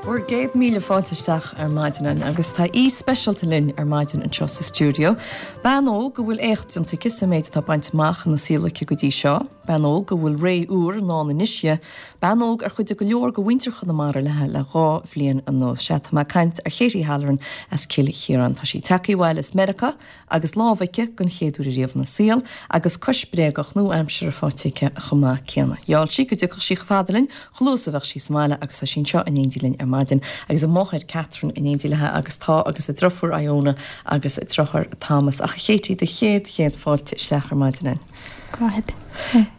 Bhur gcéad míle fáilte isteach ar maidin againn agus tá aoi speisialta linn ar maidin anseo sa stiúideo. Bean óg a bhfuil éacht déanta aici sa méid atá bainte amach ina saol aici go dtí seo. Bean óg a bhfuil ré úr i ndán anois di. Bean óg ar chuidigh go leor de mhuintir Chonamara léi le 2 bhliain anuas. Sea, tá mé ag caint ar Katie Halloran as Cill Chiaráin. Tá sí tagtha abhaile as Meiriceá agus lámh aici den chéad uair ariamh ina saol, agus cois bréagach nua-aimseartha faighte aici chomh maith céanna. Gheall sí go dtiocfadh sí chomh fada linn, chomh luath is a bheadh sí sa mbaile agus tá sí anseo in éindí linn ar maidin agus a máthair Catherine in éindí léi agus tá agus a driofúr Iona agus a driotháir Thomas. Ach a Katie, do chéad chéad fáilte isteach ar maidin againn. Go raibh.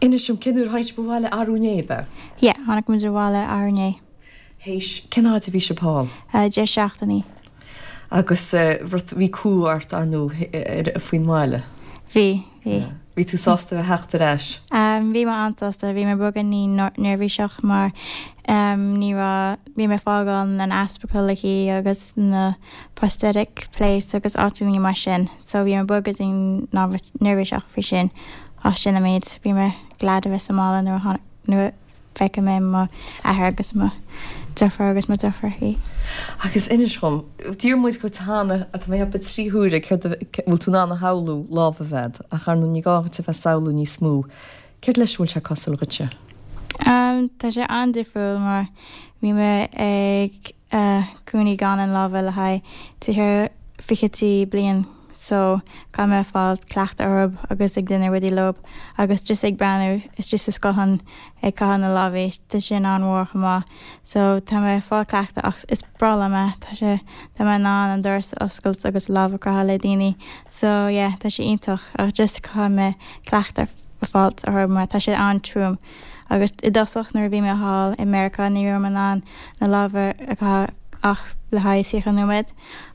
Inis dom, cén uair a tháinig sibh abhaile arú inné, ab ea? Yeah, tháinig muid abhaile arú inné. Théis, cén fhaid a bhí sibh thall? 10 seachtainí. Agus rud, bhí cumha ort, ar ndóigh, faoin mbaile? Bhí, bhí. Bhí tú sásta a bheith theacht ar ais? Bhí mé an-sásta, bhí mé beagáinín neirbhíseach mar ní raibh, bhí mé fágáil an aspacal aici agus na prosthetic place agus áiteanna mar sin so bhí mé beagáinín neirbhíseach faoi sin ach sin an méid, bhí mé glad a bheith sa mbaile nuair a tháinig, nuair a. Feicfidh mé mo athair agus mo deirfiúr agus mo deirfiúrachaí. Agus inis dhom, d'iarr muid dhuit cheana, tá mé ag ceapadh 3 huaire, céard a, bhfuil tú in ann a shamhlú lámh a bheith agat, ach ar ndóigh ní gá dhuit a bheith ag samhlú níos mó. Céard leis a bhfuil sé cosúil dhuitse? Tá sé an-difriúil mar bhí mé ag cónaí gan an lámha le haghaidh tríocha fichidí bliain so caithfidh mé fáil cleachtadh orthu agus ag déanamh rudaí leo agus just ag breathnú istigh sa scáthán ag caitheamh na lámhaí tá sin an-mhór chomh maith so tá mé ag fáil cleachtadh ach is breá liom é tá sé tá mé in ann an doras a oscailt agus lámh a croitheadh le daoine so yeah tá sé iontach ach just caithfidh mé cleachtadh a fáilt orthu mar tá sé an-trom Agus i dtosach nuair a bhí mé thall i Meiriceá ní raibh mé in ann na lámha a chaitheamh ach le haghaidh 30 nóiméad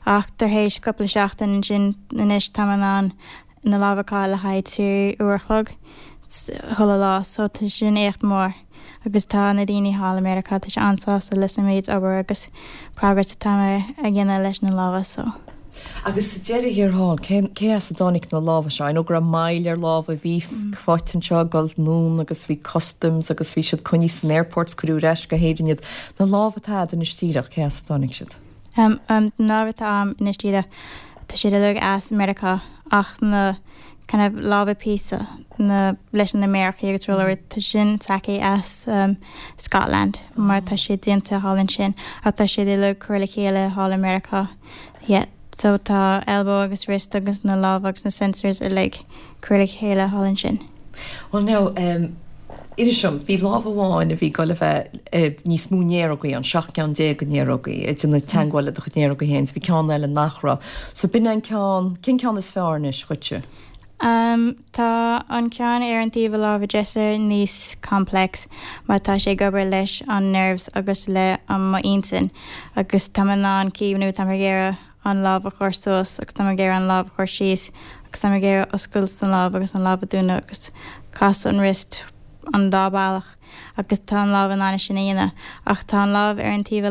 ach tar éis cúpla seachtain ansin anois tá mé in ann na lámha a chaitheamh le haghaidh 3 uair a chlog chuile lá so tá sin éacht mór agus tá na daoine thall i Meiriceá tá sé an-sásta leis an méid obair agus progress atá mé a dhéanamh leis na lámha so. Agus sa deireadh thiar thall, cé as a dtáinig na lámha seo? I know go raibh moill ar lámha a bhí faighte anseo ag dul anonn agus bhí customs agus bhí siad coinnithe san airport 's cuireadh ar ais go hÉirinn iad. Na lámha atá agat anois díreach, cé as a dtáinig siad? Na lámha atá agam anois díreach, tá siad uilig as Meiriceá ach na kind of lámha píosa na leis na méarachaí agus rollaí tá sin tagtha as Scotland mar tá siad déanta thall ansin ach tá siad uilig curtha le chéile thall i Meiriceá yeah so tá elbow agus wrist agus na lámha agus na sensors uilig curtha le chéile thall ansin. Well now um inis dom, bhí lámh amháin a bhí ag dul a bheith níos mó néarógaí ann, 17 ceann de néarógaí, ag déanamh teagmháil le do chuid néarógaí féin, 's bhí ceann eile nach raibh. So b'in é an ceann, cén ceann is fearr anois dhuitse? Um tá an ceann ar an taobh a lámha deise níos complex mar tá sé ag obair leis an nerves agus le an mo intinn agus tá mé in ann cuimhniú tá mé ag iarraidh an lámh a chur suas agus tá mé ag iarraidh an lámh a chur síos agus tá mé ag iarraidh oscailt an lámh agus an lámh a dúnadh agus casadh an wrist an dá bealach agus tá an lámh in ann é sin a dhéanamh ach tá an lámh ar an taobh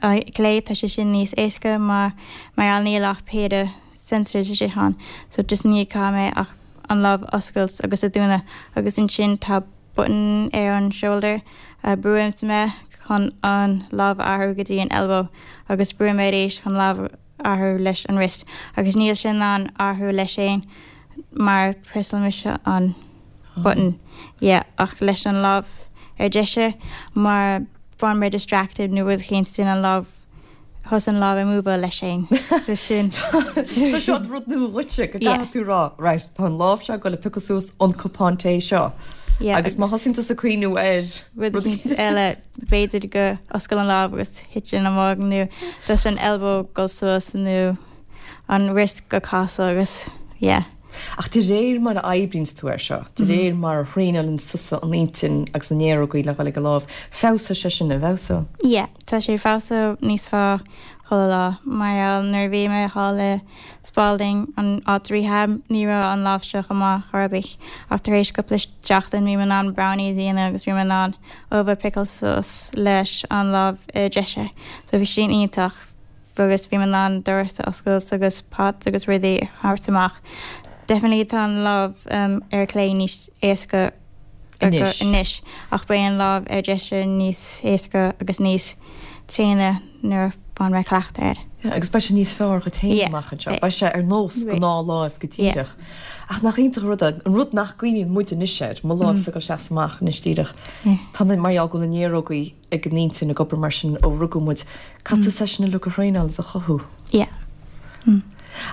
a clé tá sé sin níos éasca mar mar gheall níl ach péire sensors istigh ann so just ní caithfidh mé ach an lámh a oscailt agus a dúnadh agus ansin tá button ar an shoulder a brúimse mé chun an lámh a athrú go dtí an elbow agus brúim mé arís chun lámh a athrú leis an wrist agus níl sé in ann athrú leis féin mar presáil mise an button yeah ach leis an lámh ar deise mar bhain mé distracted nó rud éicint sin an lámh thosaigh an lámh ag múváil leis féin. So sin. So seo rud nua dhuitse go gcaithfidh tú rá, right, tá an lámh seo ag dul a piocadh suas an cupán tae seo. Yeah, Agus má thosaíonn tusa ag cuimhniú ar rud éicint eile, b'fhéidir go oscail an lámh agus thiteann an mug nó thosaigh an elbow dul suas nó an wrist go casadh agus yeah. Ach de réir mar a oibríonns tú air seo, de réir mar a thraenálanns tusa an intinn agus na néarógaí le dhul ag an lámh, feabhsóidh sé sin, an bhfeabhsóidh? Yeah. Tá sé ag feabhsú níos fearr chuile lá. Mar gheall nuair a bhí mé thall i Spalding, an áit rehab, ní raibh an lámh seo chomh maith chor ar bith. Ach tar éis cúpla seachtain bhí mé in ann brownies a dhéanamh agus bhí mé in ann ubh a piceáil suas leis an lámh ar deise. So bhí sin iontach agus bhí mé in ann doras a oscailt agus pots agus rudaí a thabhairt amach. Definitely tá an lámh ar clé níos éasca. Anois. Anois. Ach beidh an lámh ar deise níos éasca agus níos tréine nuair a bhain mé cleachtadh air. Yeah, agus beidh sé níos fearr dhuit féin Yeah. amach anseo. Beidh sé ar nós Beidh. gnáthláimh go Yeah. díreach. Ach nach iontach an rud é, an rud nach gcuimhníonn muid anois air, mo lámhsa ag dul isteach is amach anois díreach. Yeah. Tá na, mar gheall go bhfuil na néarógaí ag an intinn ag obair mar sin ó rugadh muid. Caithfidh tú é sin uilig a thraenáil is a chothú. Yeah.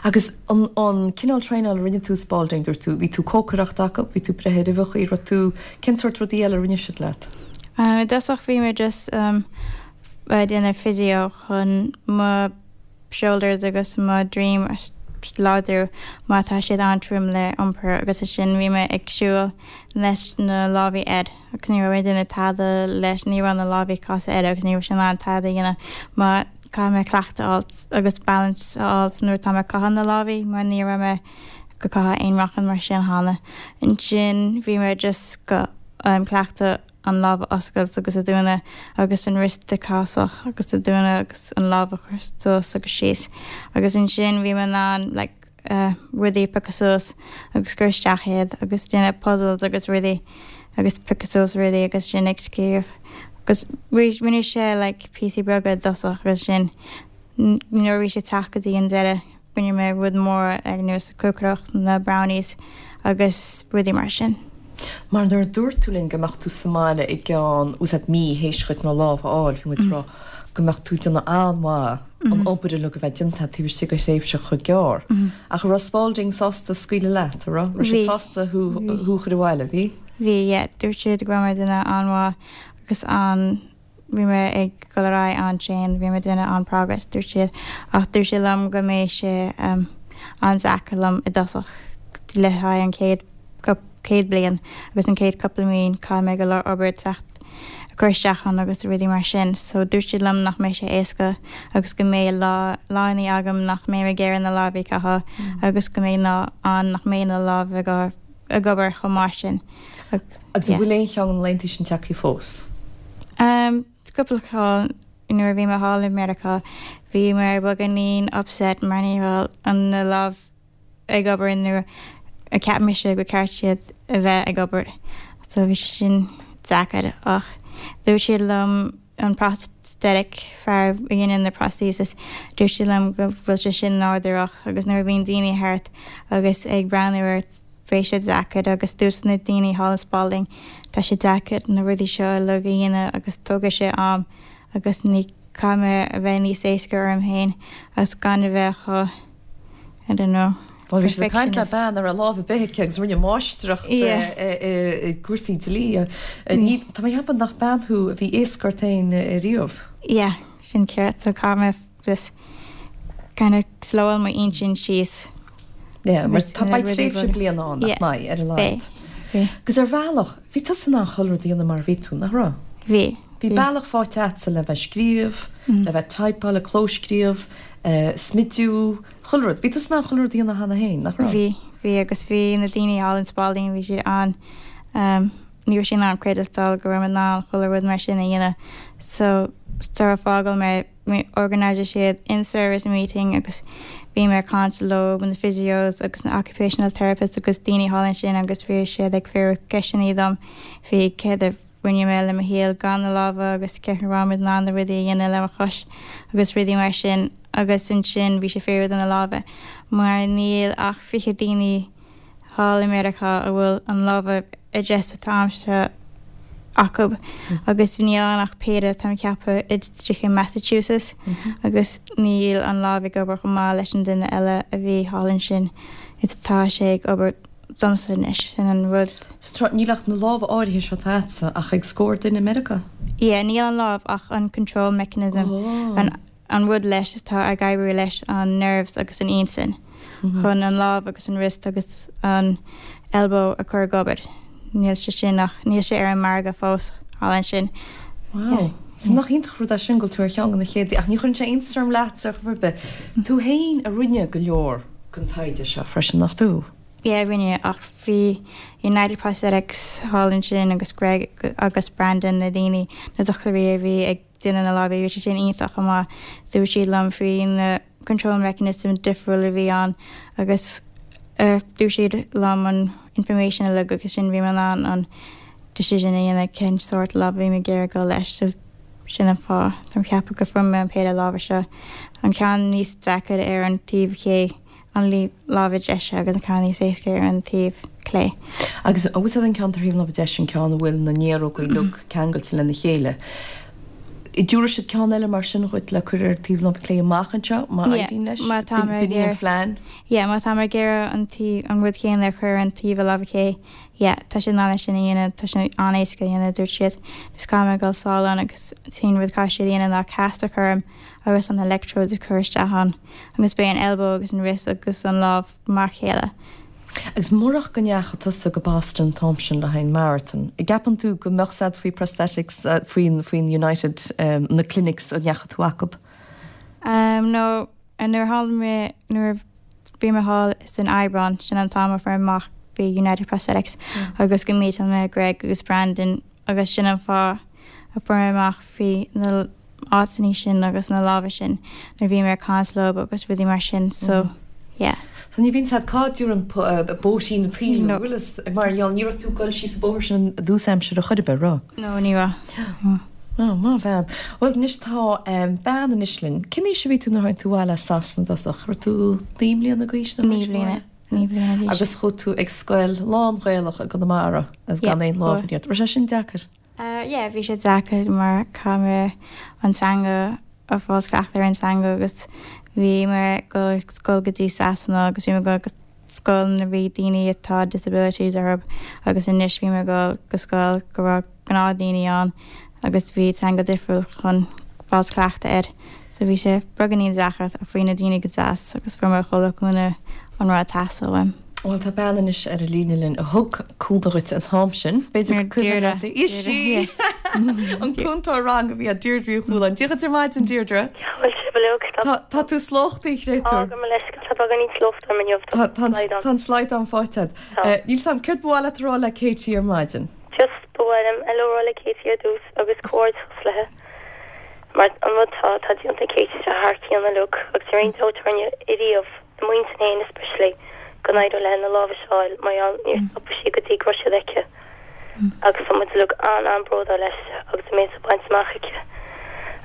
Agus an an cineál traenála a rinne tú i Spalding, dúirt tú, bhí tú cócaireacht acu, bhí tú breith ar uibheacha, raibh tú, cén sórt rudaí eile a rinne siad leat? I dtosach bhí mé just ag déanamh physio chun mo shoulders agus mo droim a láidriú mar tá siad an-trom le iompar agus ansin bhí mé ag siúl leis na lámhaí air agus ní raibh mé ag déanamh tada leis, ní raibh na lámhaí cosa air agus ní raibh sé in ann tada a dhéanamh mar caithfidh mé cleachtadh a fháilt agus balance a fháilt nuair atá mé ag caitheamh na lámhaí mar ní raibh mé go caitheamh aon rochan mar sin cheana. Ansin bhí mé just go cleachtadh an lámh a oscailt agus a dúnadh agus an wrist a casadh agus a dúnadh agus an lámh a chur suas agus síos agus ansin bhí mé in ann like rudaí a piocadh suas agus cur isteach iad agus déanamh puzzles agus rudaí agus piocadh suas rudaí agus sin ag scríobh agus rinne sé like píosaí beaga i dtosach agus sin nuair a bhí sé teacht go dtí an deireadh rinne mé rud mór ar nós cócaireacht na brownies agus rudaí mar sin. Mar nuair a dúirt tú linn go mbeadh tú sa mbaile i gceann, bhfuil a fhios agat, mí théis dhuit na lámha a fháil, bhí muid ag rá go mbeadh tú ag déanamh an-mhaith an obair uilig a bheith déanta taobh istigh de thréimhse chomh gearr. Ach an raibh Spalding sásta scaoileadh leat, an raibh? Raibh siad sásta thú a chur abhaile, bhí? Bhí, yeah. Dúirt siad go raibh mé duine an-mhaith agus an Bhí mé ag dul ar aghaidh an-tréan, bhí mé ag déanamh an-progress, dúirt siad. Ach dúirt siad liom go mbeidh sé an-deacair liom i dtosach le haghaidh an chéad chéad bliain agus an chéad cúpla mí, caithfidh mé go leor obair teacht a chur isteach ann agus rudaí mar sin. So dúirt siad liom nach mbeidh sé éasca agus go mbeidh lá lánaí agam nach mbeidh mé ag iarraidh na lámhaí a chaitheamh agus go mbeidh lá ann nach mbeidh na lámha ag ag obair chomh maith sin. Agus an bhfuil aon cheann de na laethanta sin tagtha fós? Cúpla ceann nuair a bhí mé thall i Meiriceá bhí mé beagáinín upset mar ní raibh an na lámh ag obair nuair a cheap mise gur ceart siad a bheith ag obair so bhí sé sin deacair ach dúirt siad liom an prosthetic fear a dhéanann na prosthesis dúirt siad liom go bhfuil sé sin nádúrach agus nuair a bhíonn daoine thart agus ag breathnú ort beidh sé deacair agus dúirt na daoine thall in Spalding tá sé deacair na rudaí seo uilig a dhéanamh agus tógfaidh sé am agus ní caithfidh mé a bheith níos éasca orm féin agus gan a bheith chomh I don't know Bhuel, bhí siad ag caint le bean a raibh lámh ar bith aici agus rinne máistreacht i gcúrsaí dlí. Tá mé ag ceapadh nach bean thú a bhí éasca ort féin riamh. Yeah, sin ceart. So caithfidh mé just kind of slowáil m'intinn síos. Yeah, mar tá beidh tréimhse bliana ann nach mbeidh, ar a laghad. Beidh. Agus ar bhealach, bhí tusa in ann chuile rud a dhéanamh mar a bhí tú, nach raibh? Bhí. Bhí bealach faighte agatsa le bheith scríobh, le bheith typeáil, le clóscríobh, smidiú, chuile rud. Bhí tusa in ann chuile rud a dhéanamh cheana féin, nach raibh? Bhí, bhí agus bhí na daoine thall in Spalding, bhí siad an, ní raibh siad in ann creidbheáil go raibh mé in ann chuile rud mar sin a dhéanamh. So, sara fágáil mé, organise siad in-service meeting agus bhí mé ag caint leo, na physios agus na occupational therapists agus daoine thall ansin agus bhí siad ag fiafraí ceisteanna dom faoi céard a rinne mé le mo shaol gan na lámha agus cé raibh mé in ann na rudaí a dhéanamh le mo chois agus rudaí mar sin agus ansin bhí sé fiafraí de na lámha mar níl ach 20 daoine thall i Meiriceá a bhfuil an lámha ar deis atá a'msa acu agus níl ann ach péire tá mé ag ceapadh istigh i Massachusetts agus níl an lámh ag obair chomh maith leis an duine eile a bhí thall ansin is atá sé ag obair domsa anois, sin an rud. So níl ach na lámha áirithe seo atá a'dsa ach ag scór duine i Meiriceá? Yeah, níl an lámh ach an control mechanism, an an rud leis atá ag oibriú leis an nerves agus an intinn chun an lámh agus an wrist agus an elbow a chur ag obair. Níl sé sin ach níl sé ar an margadh fós thall ansin. Wow. So nach iontach rud é sin go bhfuil tú ar cheann de na chéad ach ní chuireann sé iontas orm leatsa ar chor ar bith. Tú féin a rinne go leor den taighde seo freisin, nach tú? Yeah, rinne, ach bhí United Prosthetics thall ansin agus Greg agus Brandon, na daoine, na dochtúirí a bhí ag déanamh na lámha, bhí sé sin iontach chomh maith. Dúirt siad liom faoi na control mechanisms difriúil a bhí ann agus dúirt siad liom an information uilig agus sin bhí mé in ann an. decision a dhéanamh cén sórt lámh a bhí mé ag iarraidh dul leis so sin an fáth tá mé ag ceapadh go fuair mé an péire lámha seo. An ceann níos deacair ar an taobh ché an lámha deise agus an ceann níos éasca ar an taobh clé. Agus an bhfuil an ceann ar thaobh na láimhe deise an ceann a bhfuil na néarógaí uilig ceangailte lena chéile? Dtabharfaidh siad ceann eile mar sin dhuit le cur ar taobh na láimhe clé amach anseo má éiríonn leis? Má tá mé ag B'in í an phlean? Yeah, má tá mé ag iarraidh an taobh, an rud céanna a chur ar an taobh a láimhe clé, yeah, tá sé in ann é sin a dhéanamh, tá sé an-éasca a dhéanamh, dúirt siad. Just caithfidh mé dul sall ann agus an t-aon rud caithfidh siad a dhéanamh ná cast a chur orm agus an electrodes a chur isteach ann agus beidh an elbow agus an wrist agus an lámh mar chéile. Agus murach go ndeachaigh tusa go Boston an t-am sin le haghaidh an marathon, an gceapann tú go mbeadh a fhios agat faoi prosthetics, faoin, faoin United, na clinics a ndeachaigh tú acub? Um, no, nuair a tharla mé, nuair a bhí mé thall san Aibreán, sin an t-am a fuair mé amach faoi United Prosthetics agus go meetáil mé Greg agus Brandon agus sin an fáth a fuair mé amach faoi na áiteanna sin agus na lámha sin nuair a bhí mé ag caint leo agus rudaí mar sin so yeah. So ní bhíonn a fhios agat cá dtabharann bóithrín an tsaoil thú, bhfuil fhios, mar gheall ní raibh tú ag dul síos an bóthar sin i dtús aimsire chor ar bith, raibh? No, ní raibh. Oh, maith an bhean. Bhuel anois tá bean anois linn. Cén aois a bhí tú nuair a tháinig tú abhaile as Sasana i dtosach? Raibh tú 9 mbliana d'aois nuair a tháinig tú abhaile? 9 bliana d'aois. Agus chuaigh tú ag scoil lán-Ghaelach i gConamara agus gan aon lámh in iarraidh. Raibh sé sin deacair? Yeah, bhí sé deacair mar chaith mé an teanga a fáil cleachtadh ar an teanga agus bhí mé ag dul ag scoil go dtí Sasana agus bhí mé ag dul go scoil na bhí daoine atá disabilities orthu agus anois bhí mé ag dul go scoil go raibh gnáth daoine ann agus bhí teanga difriúil chun fáil cleachtadh air. So bhí sé beagáinín deacair ach bhí na daoine go deas agus fuair mé chuile dhuine an rud a theastaigh uaim. Bhuel, tá bean anois ar an líne linn a thug cúnamh dhuit an t-am sin. B'fhéidir gur cuimhin leat í. Is í! An cúntóir ranga a bhí ag Deirdre Uí Chualáin. Dia dhuit ar maidin, Deirdre. Bhuel, sibh uilig. Tá tú slóchtaí, créatúr. Tá, gabh mo leithscéal, tá beagáinín slóchta orm inniu. Tá an slaghdán faighte agat. Níl 's a'm, céard ba mhaith leat a rá le Katie ar maidin? Just, ba mhaith liom hello a rá le Katie ar dtús agus comhghairdeachas léi. Mar an rud tá, tá déanta ag Katie tá sé thar cionn uilig agus ní raibh aon dabht orainne ariamh, i m'intinn féin especially, go n-éireodh léi na lámha seo a fháil mar gheall níor stop sí go dtí go raibh siad aici. Agus tá muid uilig an-an-bródúil aisti agus an méid atá bainte amach aici.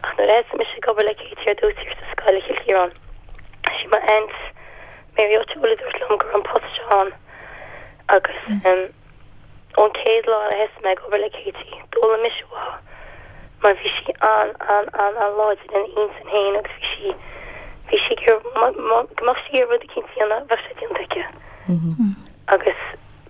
Ach nuair a thosaigh mise ag obair le Katie ar dtús thiar sa scoil i Chill Chiaráin, sí mo aunt Mary O'Toole a dúirt liom go raibh an post seo ann agus em, Ón chéad lá a thosaigh mé ag obair le Katie, d'fhoghlaim mise uaithi mar bhí sí an, an, an, an-láidir ina intinn féin agus bhí sí, bhí sí ag iarraidh, go mbeadh sí ag iarraidh rud eicínt a dhéanamh, bheadh sé déanta aici. Agus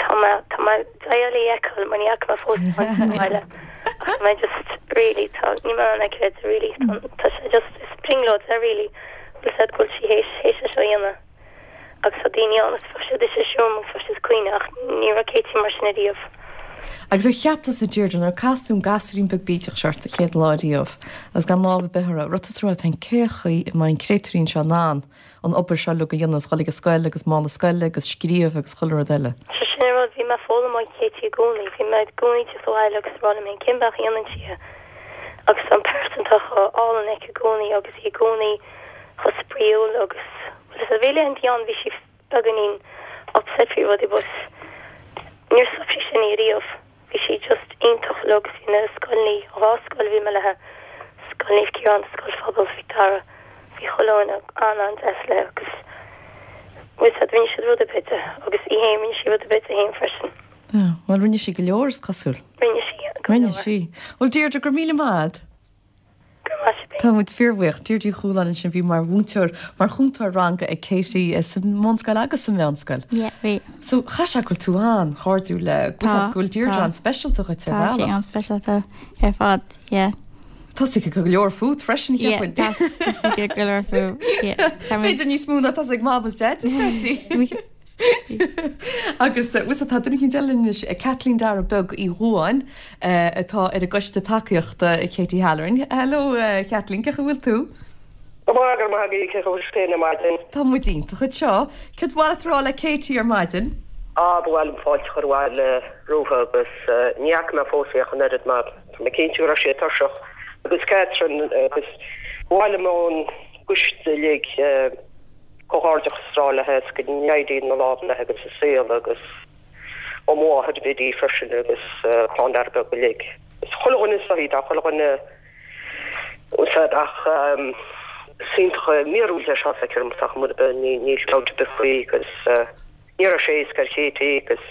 tá mé, tá mé ag dul í a fheiceáil mar ní fhaca mé fós í sa bhaile ach tá mé just really, tá, níl mé in ann é a chreidiúint really, tá, tá sé just, is brionglóid é really, bhfuil 's a'd go bhfuil sí théis, théis é seo a dhéanamh. Agus tá daoine ann agus bheadh siad istigh sa seomra agus bheadh siad ag caoineadh ach ní raibh Katie mar sin ariamh. Agus ar cheap tusa Deirdre nuair a casadh an gasúirín beag bídeach seo ort an chéad lá riamh agus gan lámh ar bith uirthi, raibh tusa ag rá leat féin cé chaoi a mbeidh an créatúirín seo in ann an obair seo uilig a dhéanamh agus dhul ag an scoil agus mála scoile agus scríobh agus chuile rud eile? Sea, sin an rud, bhí mé ag foghlaim ó Katie i gcónaí, bhí mé i gcónaí ag teacht abhaile agus ag rá liom féin cén bealach a dhéanann sí é agus tá an pearsantacht chomh álainn aici i gcónaí agus í i gcónaí chomh spraíúil agus bhuel is bhí laethanta ann bhí sí beagáinín upset faoi rudaí but níor stop sí sin í ariamh. Bhí sí just iontach uilig agus bhí na scoileanna, an dhá scoil a bhí mé léi, Scoil Naomh Ciarán, Scoil Phobail Mhic Dara, bhí chuile dhuine an-an-deas léi agus bhfuil 's a'd rinne siad rud ar bith di agus í féin rinne sí rud ar bith di féin freisin. Yeah, bhuel rinne sí go leor is cosúil. Rinne sí go leor. Rinne sí. Bhuel Deirdre, go raibh míle maith a'd. Tá muid fíorbhuíoch. Deirdre Uí Chualáin ansin, bhí mar mhúinteoir, mar chúntóir ranga ag Katie sa mbunscoil agus sa mheánscoil. Yeah, bhí. So, chaithfeadh sé go bhfuil tú an-chairdiúil le, go bhfuil go bhfuil Deirdre an-speisialta dhuit ar bhealach. Tá sí an-speisialta ar fad, yeah. Tá 's aici go leor fút freisin, cheapfainn. Yeah, tá 's aici go leor fúm, yeah. B'fhéidir níos mó ná tá 's ag Mam is Dad, is féidir. Agus bhfuil tá duine éicint eile anois, Caitlín Dara Beag Uí Dhuáin, atá ar an gcoiste tacaíochta Katie Halloran. Hello a Chaitlín, cén chaoi a bhfuil tú? Go maith, go raibh maith agat, cén chaoi a bhfuil sibh féin ar maidin? Tá muid iontach anseo. Céard ba mhaith leat a rá le Katie ar maidin? Á, ba mhaith liom fáilte a chur abhaile roimhe agus ní fhaca mé fós í ach an oiread mar tá mé cinnte go raibh sí tuirseach. Agus Catherine agus ba mhaith liom ón gcoiste uilig comhghairdeachas a rá léi is go n-éirí na lámha léi agus a saol agus. Ó mo mháthair Biddy freisin agus clann Dara Beag uilig. Is chuile dhuine is dóichí, tá chuile dhuine úsáid ach is iontach míorúilt é seo feictear dom ach mura bith níl dabht ar bith faoi agus ní raibh sé éasca ar Katie agus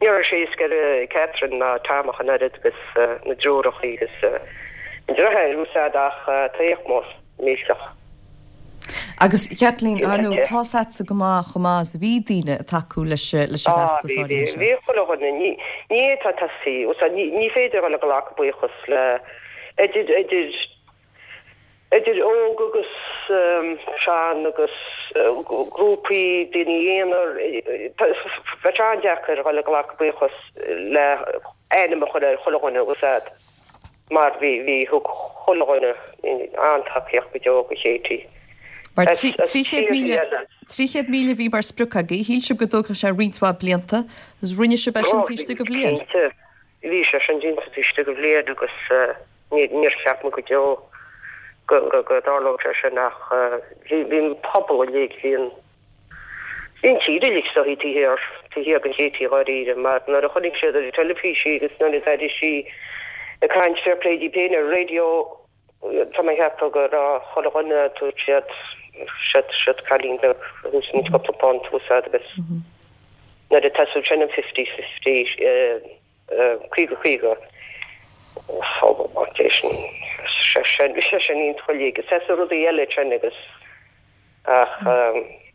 ní raibh sé éasca ar Catherine ná Tom ach an oiread agus na deartháireachaí agus an deartháir úsáid ach tá éacht mór millteach. Agus Kathleen, ar ndóigh, tá's a'dsa go maith chomh maith is a bhí daoine ag tacú leis an bhfeachtas áirithe seo. Bhí, chuile dhuine. Ní, ní fhéadfá tosaí, úsáid, ní, ní féidir a dhul ag glacadh buíochas le, idir, idir, idir óg agus sean agus grúpaí, daoine aonair, bheadh sé an-deacair a dhul ag glacadh buíochas le ainm a chur ar chuile dhuine, úsáid. mar bhí, bhí, thug chuile dhuine an-tacaíocht go deo do Katie. Mar 300,000, 300,000 a bhí mar sprioc agaibh, shíl sibh go dtógfadh sé roinnt mhaith blianta, agus rinne sibh é sin taobh istigh de bhliain. Cinnte, bhí sé sin déanta taobh istigh de bhliain agus níor cheap muid go deo go, go, go dtarlódh sé sin ach bhí, bhí an pobal uilig, bhí an, Bhí an tír uilig is dóichí taobh thiar, taobh thiar de Katie dháiríre, mar nuair a chonaic siad ar an teilifís í agus nuair a d'airigh sí ag caint fair play di féin ar an raidió, tá mé ag ceapadh go raibh chuile dhuine, dúirt siad, siad, siad cailín beag a thús cúpla punt úsáid agus nuair a tosaíodh sin an fifty fifty, 50 50, fág é sin, sé sin, sé sin iontach uilig, is as rudaí eile sin agus ach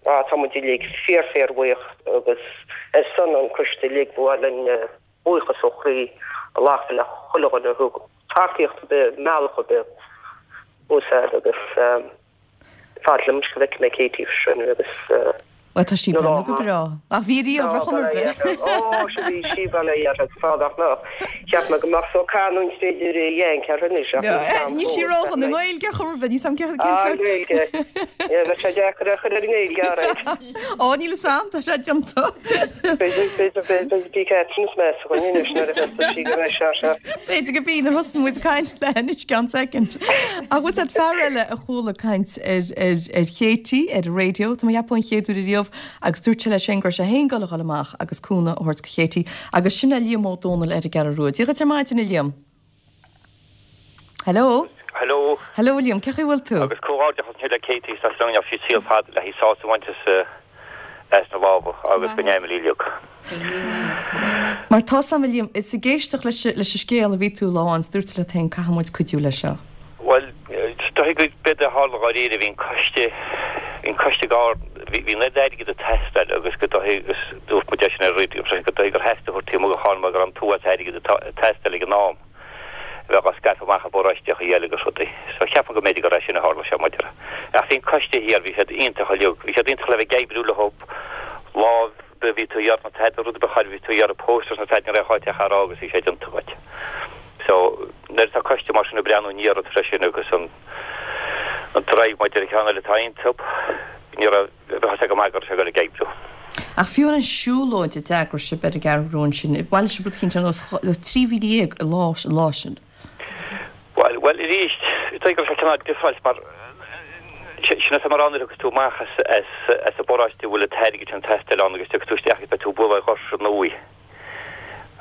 á tá muid uilig fíor fíor bhuíoch agus ar son an coiste uilig ba mhaith linn buíochas ó chroí a ghlacadh le chuile dhuine a thug tacaíocht ar bith, mbealach ar bith úsáid agus Fad liom go bhfeicfidh mé Katie freisin agus. Bhuel, tá sí ag breathnú go breá. Ach bhí riamh ar chuma ar bith. Ó, sea, bhí sí bail ó Dhia uirthi agus fad ach ná. Cheap mé go mbeadh só canúint b'fhéidir a dhéanc uirthi anois ach níl 'fhios a'm Níl sí ródhona i nGaeilge ar chuma ar bith, níl 'fhios a'm cén sórt. Ah, Gaeilge. Bheadh sé deacair a chur ar an nGaeilge, alright. Ó, níl 'fhios a'm, tá sé déanta. B'fhéidir, b'fhéidir, b'fhéidir, bhí Catherine is measa againn anois nuair a thosaigh sí go raibh sé seo. B'fhéidir go b'í nuair a thosaigh muid ag caint léi anois ceann soicind. Ach bhfuil 'fhios a'd fear eile a chuala caint ar, ar, ar Katie ar an raidió, tá mé ag ceapadh an chéad uair ariamh agus dúirt sé leis féin go raibh sé féin ag dul a dhul amach agus cúnamh a thabhairt do Katie agus sin é Liam Ó Dónaill ar an gCeathrú Rua. Dia dhuit ar maidin a Liam. Hello. Hello. Hello Liam, cén chaoi a bhfuil tú? Agus comhghairdeachas le Katie is go ndéanfaidh sí saol fada le haghaidh sásamh a bhaint as as na lámha agus go n-éirí léi. Mar tá 'fhios a'm a Liam, is ag éisteacht leis leis an scéal a bhí tú lá amháin is dúirt tú leat féin caithfidh muid cuidiú leis seo. Bhuel, is dóigh go b'fhéidir a tharla dháiríre, bhí an coiste, bhí an coiste ag ár, bhí bhí an oiread airgid ag teastáil agus go dóigh agus dúirt muid é sin ar raidió freisin go dóigh gur theastaigh a thabhairt taobh amuigh de chán mar go raibh an t-uafás airgid ag teastáil ag an am. a bheadh á scaipeadh amach i bparóisteacha eile agus rudaí. So cheap mé go mb'fhéidir gur é sin a tharla sé maidir. Ach bhí an coiste thiar, bhí siad iontach uilig, bhí siad iontach le bheith ag oibriú leo lá ar bith bhí tú ag iarraidh na tada, rud ar bith char bhí tú ag iarraidh posters nó tada ní raibh ach a rá agus bhí sé déanta agat. So nuair atá coiste mar sin ag breathnú i ndiaidh ort freisin agus an an drive maidir le ceann eile atá iontu, ní raibh Bheadh sé go maith go raibh sé ag dul ag oibriú. Ach fiú an siúlóid a d'eagraigh sibh ar an gCeathrú Rua ansin, bhailigh sibh rud eicínt ar nós 13,000 an lá, an lá sin. Bhuel, bhuel arís, is dóigh go raibh sé cineál difreáilte mar sin atá mar ann nuair a thiocfas tú amach as, as, as an bparóiste a bhfuil an t-airgead sin ag teastáil ann agus tiocfaidh tú isteach agus beidh tú ag bualadh ar dhoirse nua.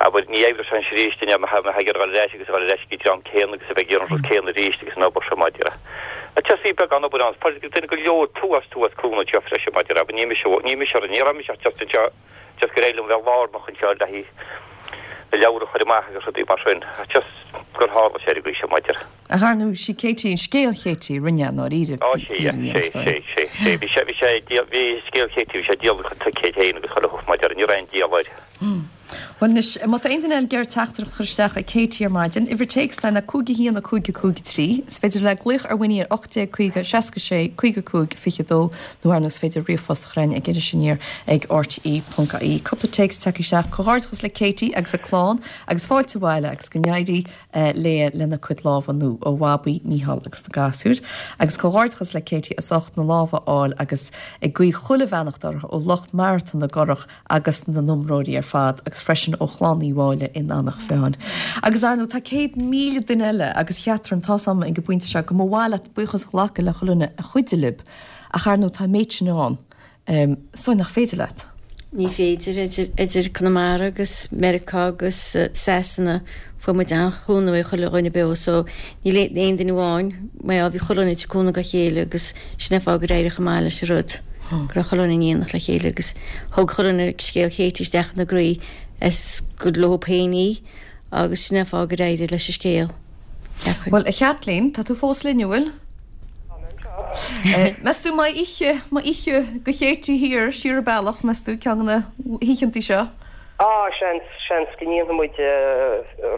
Abair, ní oibreoidh sé anois arís, duine a bheadh ag iarraidh dul ar ais agus a dhul ar ais ag an dream céanna agus a bheith ag iarraidh an rud céanna arís agus an obair seo maidir le. Ach just bhí beagán obair ann, fuair duine go leor tuas tuas cúnamh anseo freisin maidir le, abair, ní mise, ní mise, ní raibh mise ach just anseo, just gur éirigh liom bheith lárnach anseo le haghaidh na leabhar a chur amach agus rudaí mar sin, ach just gur tharla sé ar an gcaoi seo maidir. Ach ar ndóigh, sí Katie, an scéal Katie a rinne i ndáiríre, Á, sé, yeah, sé, sé, sé, sé, bhí sé, bhí sé, bhí scéal Katie, bhí sé díol chun ticéid féin agus chuile shórt maidir, ní raibh aon díol air. Bhuel anois, má tá aon duine eile ag iarraidh teachtaireacht a chur isteach ag Katie ar maidin, uimhir téacs ná 5 1 5 5 3. Is féidir le glaoch ar Winnie ar 1850 66 55 22 nó ar ndóigh is féidir ríomhphost a chur chugainn ag Iris Aniar ag rte.ie. Cúpla téacs tagtha isteach. Comhghairdeachas le Katie agus a clann agus fáilte abhaile agus go n-éirí léi lena cuid lámha nua ó Bhabaí, Mícheál agus na gasúir. Agus comhghairdeachas le Katie as ucht na lámha a fháil agus ag guí chuile bheannacht uirthi ó lucht Marathon na gCurrach agus na n-iomróirí ar fad agus freisin ó Chlann Uí Mháille in Eanach Mheáin. Agus ar ndóigh tá 100,000 duine eile agus Chatherine tá's a'm ag an bpointe seo go mba mhaith leat buíochas a ghlacadh le chuile dhuine a chuidigh libh ach ar ndóigh tá an méid sin ann so nach féidir leat. Ní féidir, idir Conamara agus Meiriceá agus Sasana, fuair muid an-chúnamh ó chuile dhuine beo so níl aon duine amháin, mar gheall bhí chuile dhuine ag tabhairt cúnamh dá chéile agus sin an fáth gur éirigh chomh maith leis an rud, go raibh chuile dhuine in éineacht le chéile agus thug chuile dhuine scéal Katie isteach ina gcroí is gur leo féin í agus sin an fáth gur éirigh leis an scéal. Bhuel, a Chaitlín, tá tú fós linn, an bhfuil? Tá mé anseo. Meas tú an mbeidh oíche, mbeidh oíche do Katie thiar, siar an bealach, meas tú, ceann de na hoícheantaí seo? Á, seans, seans go ndéanfaidh muid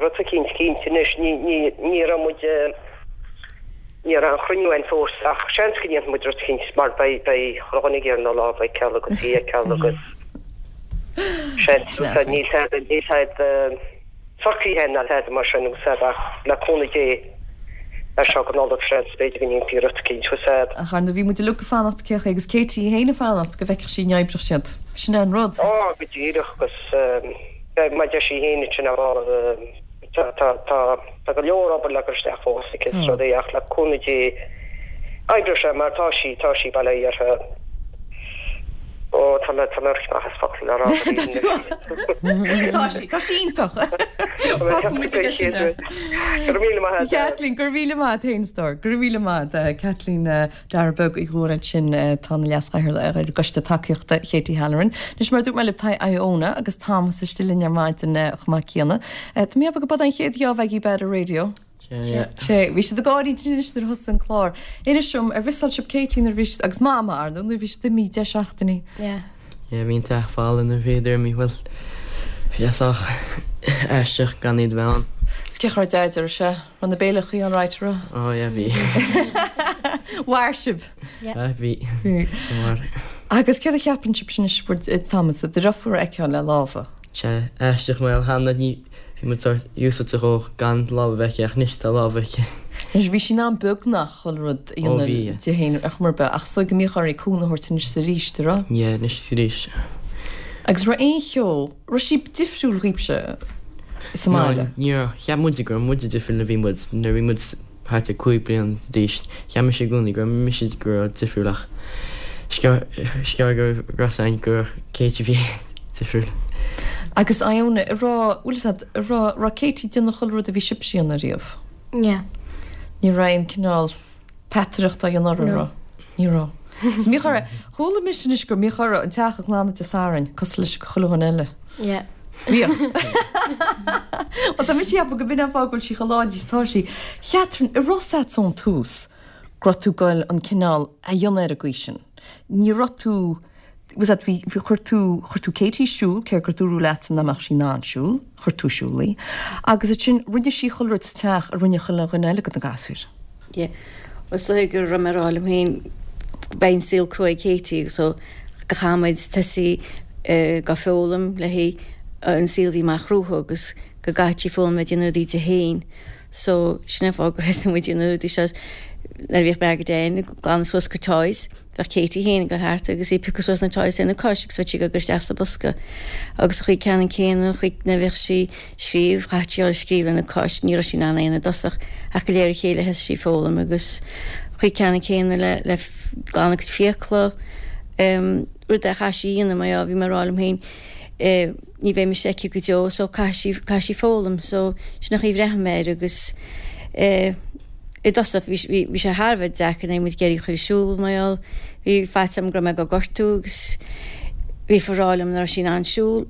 rud eicínt cinnte anois. Ní, ní, ní raibh muid, ní raibh aon chruinniú againn fós ach seans go ndéanfaidh muid rud eicínt mar beidh, beidh chuile dhuine ag iarraidh na lámha a fheiceáil agus í a fheiceáil agus seans, níl tada, níl tada, socraithe ná tada mar sin agus ach le cúnamh Dé as seo go Nollaig seans b'fhéidir go ndéanfaí rud eicínt fhios a'd. Ach ar ndóigh bhí muid uilig ag fanacht cén chaoi agus Katie í féin ag fanacht go bhfeicfeadh sí an oibreodh siad. Sin é an rud. Á go díreach agus mar a deir sí féin ansin ar ball tá tá tá tá go leor obair le cur isteach fós aici is rudaí ach le cúnamh Dé oibreoidh sé mar tá sí tá sí bail ó Dhia uirthi. Ó, tá mé, tá mé amach as focal le rá. Tá sí, tá sí iontach. Fágfaidh muid aige sin é. Go raibh míle maith agat. Caitlín, go raibh míle maith agat féin, a stór. Go raibh míle maith agat. Caitlín Dara Beag Uí Ghadhra ansin, atá ina leas-chathaoirleach ar an gCoiste Tacaíochta Katie Halloran. Anois mar a dúirt mé libh, tá Iona agus Thomas istigh linn ar maidin chomh maith céanna. Tá mé ag ceapadh gurb é an chéad gheábh agaibh ar an raidió. Sea, bhí siad ag gáirí anois nuair a thosaigh an clár. Inis dom, ar mhissáil sibh Katie nuair a bhí siad, agus Mama, ar ndóigh, nuair a bhí siad imithe 10 seachtainí. Yeah. Yeah, bhí an teach folamh nuair a bhíodar imithe, bhuel, bhí sé sách aisteach gan iad a bheith ann. Is cén chaoi a raibh Deaid, an raibh sé, raibh na béileachaí alright, an raibh? Oh yeah, bhí. Mhair sibh? Yeah. Bhí. Bhí. Mhair. Agus céard a cheapann sibh anois, Thomas, do dheirfiúr a fheiceáil le lámha? Sea, aisteach mar cheana ní bhí muid sórt úsáidte dhó gan lámha a bheith aici ach anois tá lámha aici. Anois bhí sí in ann beagnach chuile rud a Ó dhéanamh bhí, yeah. di féin ar chuma ar bith ach is dóigh go mbíodh uirthi cúnamh a thabhairt anois is arís, an raibh? Yeah, anois is arís. Agus raibh aon cheo, raibh sí difriúil dhaoibhse sa No, mbaile? ní raibh. Cheap muide go raibh muide difriúil nuair a bhí muid, nuair a bhí muid thart ar 5 bliana d'aois. Cheap mise i gcónaí go raibh mise go raibh difriúil ach is gearr go raibh fhios againn go raibh Katie a bhí difriúil. Agus Iona, an raibh, bhfuil fhios agat, an raibh, raibh Katie ag déanamh chuile rud a bhí sibhse a dhéanamh riamh? Yeah. Ní raibh aon cineál peataireacht á dhéanamh uirthi, an No. raibh? Ní raibh. Is mbíodh uirthi, chuala mise anois go mbíodh uirthi an teach a ghlanadh Dé Sathairn, cosúil leis chuile dhuine eile. Yeah. Bhíodh. Bhuel, tá mise ag ceapadh go b'in an fáth go bhfuil sí chomh láidir is atá sí. Chatherine, an raibh fhios agat ón tús go raibh tú ag goil an cineál a dhéanamh ar an gcaoi sin. Ní raibh tú, bhfuil fhios agat, bhí, bhí, chuir tú, chuir tú Katie ag siúl, cé gur dúradh leatsa nach mbeadh sí in ann siúl, chuir tú ag siúl í. Agus ansin, rinne sí chuile rud sa teach a rinne chuile dhuine eile de na gasúir. Yeah. Bhuel, is dóigh go raibh mé ag rá liom féin beidh an saol crua ag Katie so go chaithfidh muid tosaí ag foghlaim léi an saol a bhí amach rompu agus go gcaithfidh sí foghlaim a bheith ag déanamh rudaí di féin. So sin an fáth gur thosaigh muid ag déanamh rudaí seo nuair a bhíodh mé go deimhin ag glanadh suas a cuid toys. Bheadh Katie féin ag dul thart agus í ag piocadh suas na toys lena cois agus bheadh sí ag gabháil isteach sa bosca. Agus an chaoi ceannann céanna, an chaoi nuair a bhíodh sí ag scríobh, chaithfeadh sí a dhul ag scríobh lena cois, ní raibh sí in ann é a dhéanamh i dtosach ach de réir a chéile thosaigh sí ag foghlaim agus an chaoi ceannann céanna le le glanadh a cuid fiacla, rud a chaithfidh sí a dhéanamh mar gheall, bhí mé ag rá liom féin ní bheidh mise aici go deo so caithfidh sí, caithfidh sí foghlaim so sin an chaoi a bhreathnaigh mé air agus eh i dtosach bhí, bhí, bhí sé thar a bheith deacair nuair a bhí muid ag iarraidh í a chur ag siúl mar gheall bhí faitíos orm go raibh mé ag gortú agus bhí ag rá liom nach raibh sí in ann siúl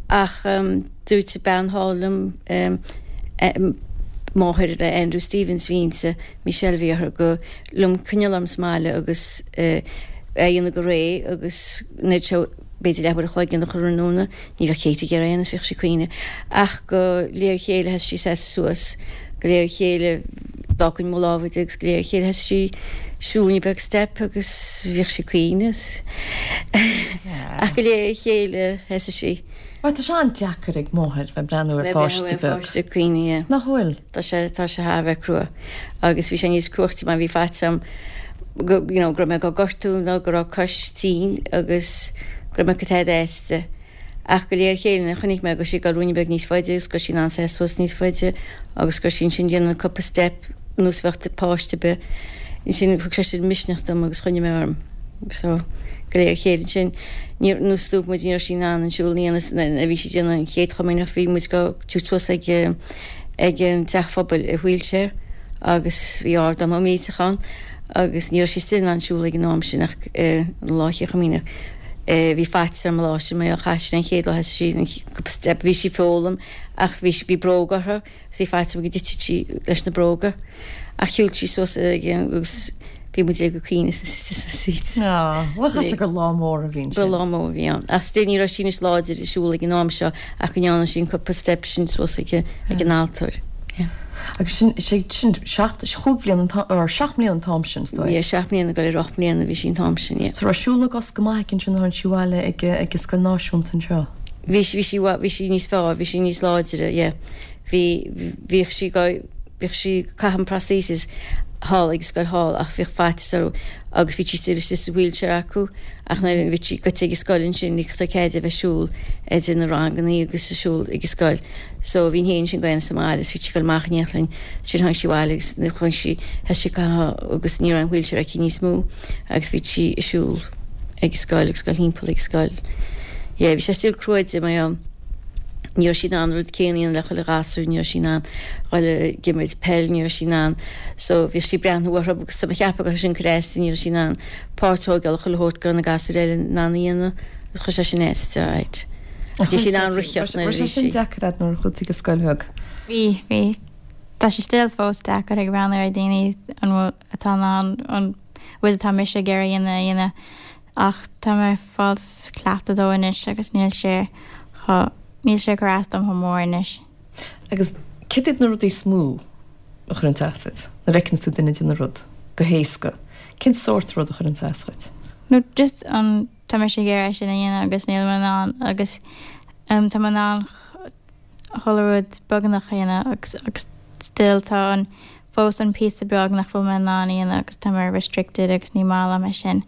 ach ehm dúirt bean thall liom ehm eh máthair le Andrew Stevens bhí inti Michelle bhí uirthi go liom coinneáil orm sa mbaile agus eh é a dhéanamh go réidh agus nuair seo b'fhéidir leathuair a chloig nó tráthnóna, ní bheadh Katie ag iarraidh é a dhéanamh, bhíodh sí ag caoineadh. Ach de réir a chéile thosaigh sí ag seasamh suas, de réir a chéile d'fhágfainn mo lámha di agus de réir a chéile thosaigh sí siúl ruainne beag step agus bhíodh sí ag caoineadh. Ach de réir a chéile thosaigh sí. Mar tá sé an-deacair ag máthair bheith ag breathnú ar pháiste beag. Páiste ag caoineadh, yeah. Nach bhfuil? Tá sé, tá sé thar a bheith crua. Agus bhí sé níos cruachtaí mar bhí faitíos orm go, you know, go raibh mé ag gortú nó go raibh cois tinn agus go raibh mé ag cur tada aisti. Ach de réir a chéile nuair a chonaic mé go raibh sí ag dul ruainne beag níos faide agus go raibh sí in ann seasamh suas níos faide agus go raibh sí ansin déanamh cúpla step nós a bheadh páiste ar bith, ansin thug sé sin misneach dom agus choinnigh mé orm. So, go léir a chéile ansin, ní, nós dúirt muid ní raibh sí in ann an siúl a dhéanamh nuair a bhí sí ag déanamh an chéad chomaoineach bhí muid go tabhairt suas ag ag an teach phobail i wheelchair agus bhí ardán millteach ann agus ní raibh sí still in ann siúl ag an am sin ach an lá chéad chomaoineach bhí faitíos orm an lá sin mar chaith sí an chéad lá thosaigh sí an cúpla step bhí sí ag foghlaim ach bhí bhí bróga uirthi Bhí faitíos orm go dtitfeadh sí leis na bróga. Ach shiúil sí suas agus bhí muid ag caoineadh sna seats. Á, bhuel chaithfidh sé gur lá mór a bhí ansin. Ba lá mór a bhí ann. Ach still ní raibh sí níos láidre ag siúl ag an am seo ach go ndearna sí an cúpla step sin suas ag an altóir. Yeah. Agus sin, sé sin seacht, chúig bhliain an t-am, or seacht mbliana an t-am sin, is dóigh. Yeah, seacht mbliana ag dul ar ocht mbliana a bhí sí an t-am sin, yeah. So raibh siúl na gcos go maith aici ansin nuair a tháinig sí abhaile ag, ag an scoil náisiúnta anseo? Bhí sí, bhí sí, bhí sí níos fearr, bhí sí níos láidre, yeah. Bhí, bhíodh sí go, bhíodh sí ag caitheamh an prosthesis thall ag an scoil thall ach bhíodh faitíos orthu agus bhí sí still istigh sa wheelchair acu ach nuair a bhí sí goite ag an scoil ansin ní raibh cead di a bheith ag siúl idir na rangannaí agus ag siúl ag an scoil. So bhí an fhéin sin go sa mbaile is bhí sí ag dul amach in éineacht linn. Ansin tháinig sí abhaile agus nuair chuaigh sí, thosaigh sí ag caitheamh agus ní raibh an wheelchair aici níos mó agus bhí sí ag siúl ag an scoil agus ag dul thimpeall ag an scoil. Yeah, bhí sé still cruaidh di mar gheall ní raibh sí in ann an rud céanna a dhéanamh le chuile ghasúr, ní raibh sí in ann dhul ag imirt peil, ní raibh sí in ann, so bhíodh sí ag breathnú orthu agus tá mé ag ceapadh go raibh sin ag cur as di, ní raibh sí in ann páirt a thógáil chuile shórt go raibh na gasúir eile in ann a dhéanamh agus chuir sé sin as di, alright. Ach bhí sí in ann ritheacht nuair a bhí sí. Raibh sé sin deacair a'd nuair a chuaigh tú go scoil bheag? Bhí, bhí. Tá sé still fós deacair ag breathnú ar daoine an bhfuil, atá in ann an rud atá mise ag iarraidh a dhéanamh a dhéanamh. Ach tá mé ag fáil cleachtadh dó anois agus níl sé chomh, níl sé ag cur as dom chomh mór anois. Agus céard iad na rudaí is mó a chuireann as duit nuair a fheiceanns tú duine ag déanamh rud go héasca? Cén sórt rud a chuireann as dhuit? No just an, tá mise ag iarraidh é sin a dhéanamh agus níl mé in ann agus tá mé in ann chuile rud beagnach a dhéanamh agus agus still tá an fós an píosa beag nach bhfuil mé in ann a dhéanamh agus tá mé restricted agus ní maith liom é sin.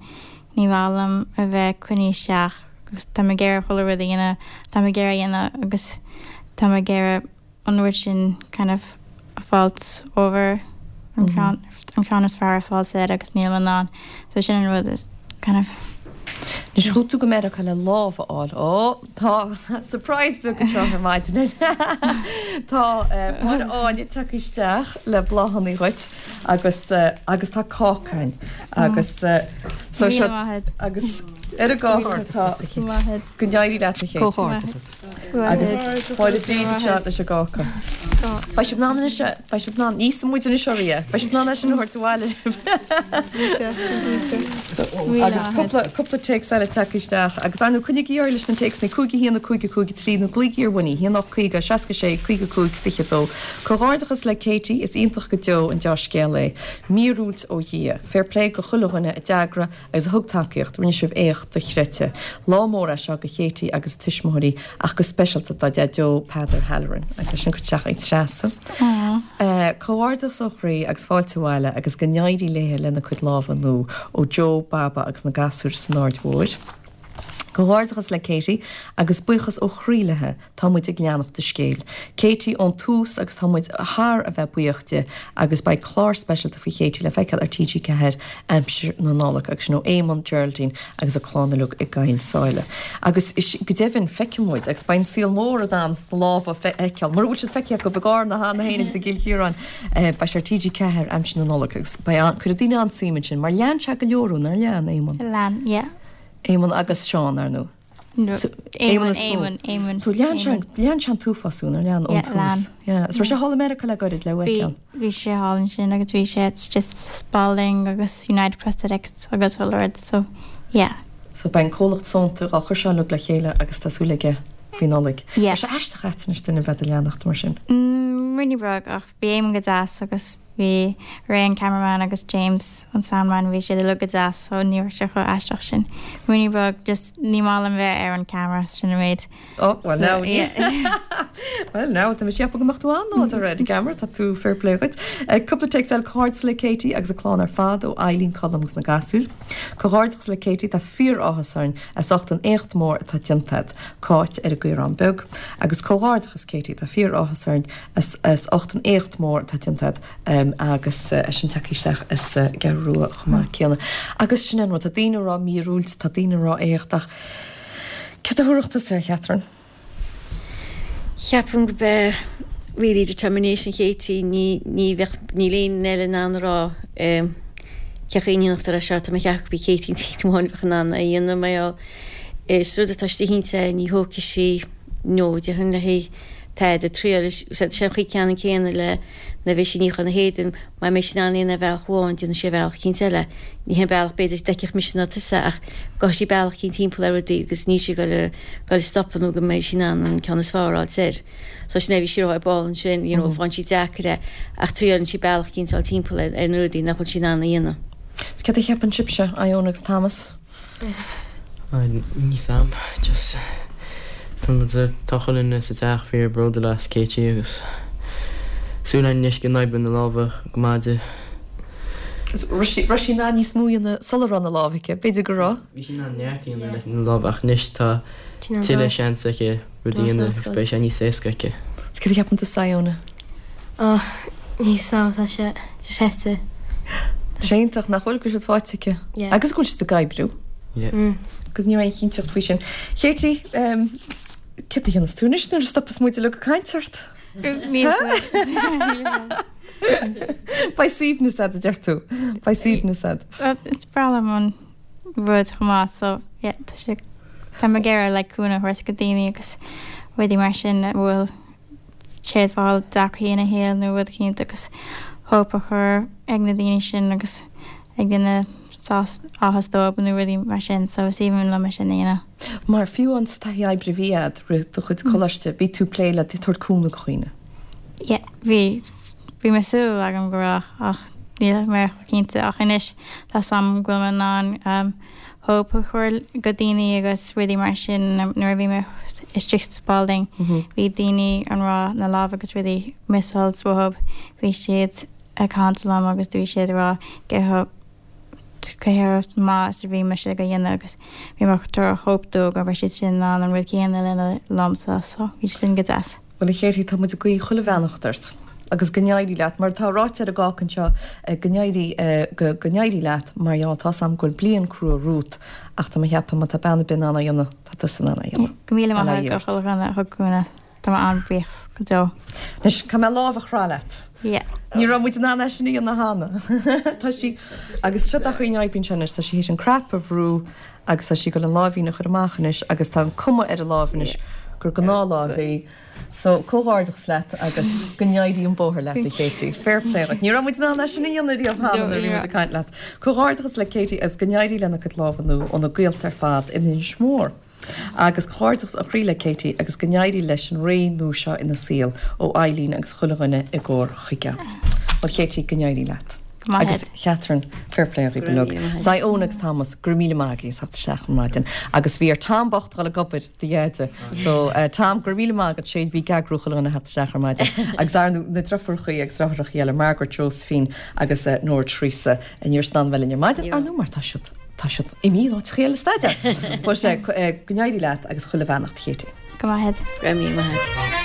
Ní maith liom a bheith coinnithe isteach agus tá mé ag iarraidh chuile rud a dhéanamh tá mé ag iarraidh a dhéanamh agus tá mé ag iarraidh an rud sin kind of a fáilt over an ceann an ceann is fearr a fáilt air agus níl mé in ann so sin an rud is kind of Anois chuaigh tú go Meiriceá le lámh a fháil. Ó! Tá surprise beag anseo ar maidin. Tá Máire Áine tagtha isteach le bláthanna dhuit agus agus tá cáca ann agus so seo agus ar an gcáca tá go n-éirí leat a Chéit. Agus Máire Bríd anseo leis an gcáca. Beidh sibh in ann anois Beidh sibh in ann, ní íosfaidh muid anois oraibh é, beidh sibh in ann é sin a thabhairt abhaile libh. Agus cúpla, cúpla téacs eile tagtha isteach agus ar ndóigh coinnígí ar aghaidh leis na téacsanna 5 1 5 5 3 nó glaoigí ar Winnie 1 8 50 66 55 22. Comhghairdeachas le Katie, is iontach go deo an deá-scéal é. Míorúilt ó Dhia. Fair play go chuile dhuine a d'eagraigh agus a thug tacaíocht, rinne sibh éacht dochreidte. Lá mór é seo go Katie agus a tuismitheoirí ach go speisialta dá Deaideo Peadar Halloran. Agus leis sin curtha isteach ag Treasa. Comhghairdeachas ó chroí agus fáilte abhaile agus go n-éirí léithe lena cuid lámha nua ó Joe, Baba agus na gasúir san Aird Mhóir. Comhghairdeachas le Katie agus buíochas ó chroí léithe. Tá muid ag leanacht a scéil. Katie ón tús agus tá muid thar a bheith buíoch di agus beidh clár speisialta faoi Katie le feiceáil ar TG4 aimsir na Nollag agus sin ó Éamonn, Geraldine agus a clann uilig i gCoill Sáile. Agus go deimhin feicfidh muid agus beidh an saol mór in ann na lámha a fheiceáil mura bhfuil siad feicthe acu i gCarna cheana féin agus i gCill Chiaráin. Beidh sé ar TG4 aimsir na Nollag agus beidh an, cuirfidh daoine an-suim ansin mar lean sé go leor thú, nár lean, Éamonn? Lean, yeah. Éamonn agus Seán, ar ndóigh. Éamonn is mó. Éamonn, Éamonn. So lean sé, lean sé an t-uafás thú, nár lean ón Yeah, lean. tús. Yeah. Is raibh sé thall i Meiriceá le goirid le feiceáil. Bhí, bhí sé thall ansin agus bhí sé, it's just Spalding agus United Prosthetics agus chuile rud, so yeah. So beidh an comhlacht sónta dhá chur seo uilig le chéile agus tá súil aige faoi Nollaig. Yeah. Raibh sé aisteach a'd anois duine a bheith do leanacht mar sin? Mm, ruainnín beag ach bhí Éamonn go deas agus Bhí Ray an cameraman agus James an soundman bhí siad uilig go deas so ní raibh sé chomh aisteach sin. Ruainnín beag just ní maith liom bheith ar an camera sin an méid. Oh, well So, now, yeah. well now, tá mé ag ceapadh go mbeadh tú an-láidir ar an gceamara, tá tú fair play dhuit. Cúpla téacs eile, comhghairdeas le Katie agus a clann ar fad ó Eileen, Colm agus na gasúir. Comhghairdeachas le Katie, tá fíor-áthas orainn as ucht an éacht mór atá déanta agat. Cáit ar an gCaorán Beag. Agus comhghairdeachas Katie, tá fíor-áthas orainn as as ucht an éacht mór atá déanta agat. Agus eisean tagtha isteach as an gCeathrú Rua chomh maith céanna. Agus sin an rud, tá daoine ag rá míorúilt, tá daoine ag rá éacht ach céard a thabharfadh tusa air, Catherine? Ceapaim go b'é really determination Katie, ní, ní bheadh, níl éinne eile in ann a rá cén chaoi a ndéanfadh é seo, tá mé ag ceapadh go b'í Katie an t-aon amháin a bheadh in ann é a dhéanamh mar gheall is rud atá istigh inti, ní thógfaidh sí no déarfainn léi tada triail, sé an chaoi ceannann céanna le nuair a bhí sí ag níochán a héadain, mura mbeidh sí in ann é a dhéanamh ar bhealach amháin, déanfaidh sí ar bhealach eicínt eile. Ní hé an bealach b'fhéidir a d'fheicfeadh mise ná tusa ach gabhfaidh sí bealach eicínt timpeall ar rudaí agus níl sí ag goil a stopadh nó go mbeidh sí in ann an ceann is fearr a fháilt air. So sin é, bhí sí rá ar ball ansin, you know, faigheann sí deacair é ach triaileann sí bealach eicínt a fháil timpeall ar na rudaí nach bhfuil sí in ann a dhéanamh. Is céard a cheapann sibhse, Iona agus Thomas? Níl 'fhios a'm, just tá muid, tá chuile dhuine sa teach fíor bródúil as Katie agus súil againn anois go n-oibreoidh na lámha go maith di. Raibh sí in ann níos mó a dhéanamh sula raibh na lámha aici, b'fhéidir go raibh? Bhí sí in ann neart a dhéanamh leis na lámha ach anois tá tuilleadh seans aici rud a dhéanamh agus beidh sé níos éasca aici. Is céard a cheapann tusa Iona? Oh, níl 'fhios a'm, tá sé just ait. Tá sé iontach nach bhfuil go bhfuil siad faighte aici. Yeah. Agus go bhfuil siad ag oibriú. Yeah. Mm. Agus ní raibh aon chinnteacht faoi sin. Katie, um, céard a dhéanfas tú anois nuair a stopas muid uilig ag caint ort? Níl Beidh suaimhneas a'd, a deir tú. Beidh suaimhneas a'd. Is breá liom an rud chomh maith so yeah tá sé tá mé ag iarraidh like cúnamh a thabhairt go daoine agus rudaí mar sin a bhfuil siad ag fáil deacrachtaí ina shaol nó rud eicínt agus hope a chur ag na daoine sin agus ag déanamh áthas dóibh nó rudaí mar sin so is aoibhinn liom é sin a dhéanamh. Mar fiú an sa taithí oibre a bhí a'd roimh do chuid coláiste, bhí tú ag plé le tabhairt cúnamh do dhaoine? Yeah, bhí. Bhí mé súil agam go raibh ach níl mé cinnte ach anois tá 's a'm go bhfuil mé in ann hope a chur go daoine agus rudaí mar sin nuair a bhí mé istigh sa Spalding bhí daoine an raibh na lámha agus rudaí misáilt uathu bhí siad ag caint liom agus bhí siad ag rá cé chomh maith is a bhí mise ag dhéanamh agus bhí mé ag tabhairt hope dóibh go raibh siad sin in ann an rud céanna a dhéanamh liomsa so bhí sin go deas. Bhuel a Katie, tá muid ag guí chuile bheannacht ort agus go n-éirí leat, mar atá ráite ar an gcáca anseo, go n-éirí, go, go n-éirí leat mar gheall, tá's a'm go bhfuil bliain crua romhat ach tá mé ag ceapadh má tá bean ar bith in ann é a dhéanamh, tá tusa in ann é a dhéanamh. Go míle maith agat do chuile dhuine a thug cúnamh. Tá mé an-bhuíoch go deo. Anois, caithfidh mé lámh a chrá leat. Yeah. Ní raibh muid in ann é sin a dhéanamh cheana. Tá sí, agus seo an chaoi a n-oibríonn sé anois, tá sí théis an crap a bhrú agus tá sí ag dul an láimhín a chur amach anois agus tá an cuma ar an lámh anois gur gnáthlámh í. So, comhghairdeachas leat agus go n-éirí an bóthar leat, a Katie. Fair play duit. Ní raibh muid in ann é sin a dhéanamh riamh cheana nuair a bhí muid ag caint leat. Comhghairdeachas le Katie agus go n-éirí lena cuid lámha nua óna gaolta ar fad in Inis Mór. Agus comhghairdeachas ó chroí le Katie agus go n-éirí leis an ré nua seo ina saol ó Eileen agus chuile dhuine i gComhar Chuigéal. Bhuel Katie, go n-éirí leat. Go maith Agus Catherine, fair play dhaoibh uilig. Iona agus Thomas, go raibh míle maith agaibh as theacht isteach ar maidin. Agus bhí ar Tom bocht dul ag obair do dheaide. So Tom, go raibh míle maith agat, sé a bhí ag eagrú chuile dhuine a theacht isteach ar maidin. Agus ar ndóigh na driofúrachaí agus deartháireachaí eile, Margaret, Josephine agus Nóra Teresa, ní raibh siad in ann a bheith linn ar maidin, ar ndóigh mar tá siad Tá siad imithe in áiteachaí eile ag staidéar. But go n-éirí leat agus chuile bheannacht, a Katie. Go maith Go raibh míle maith agat.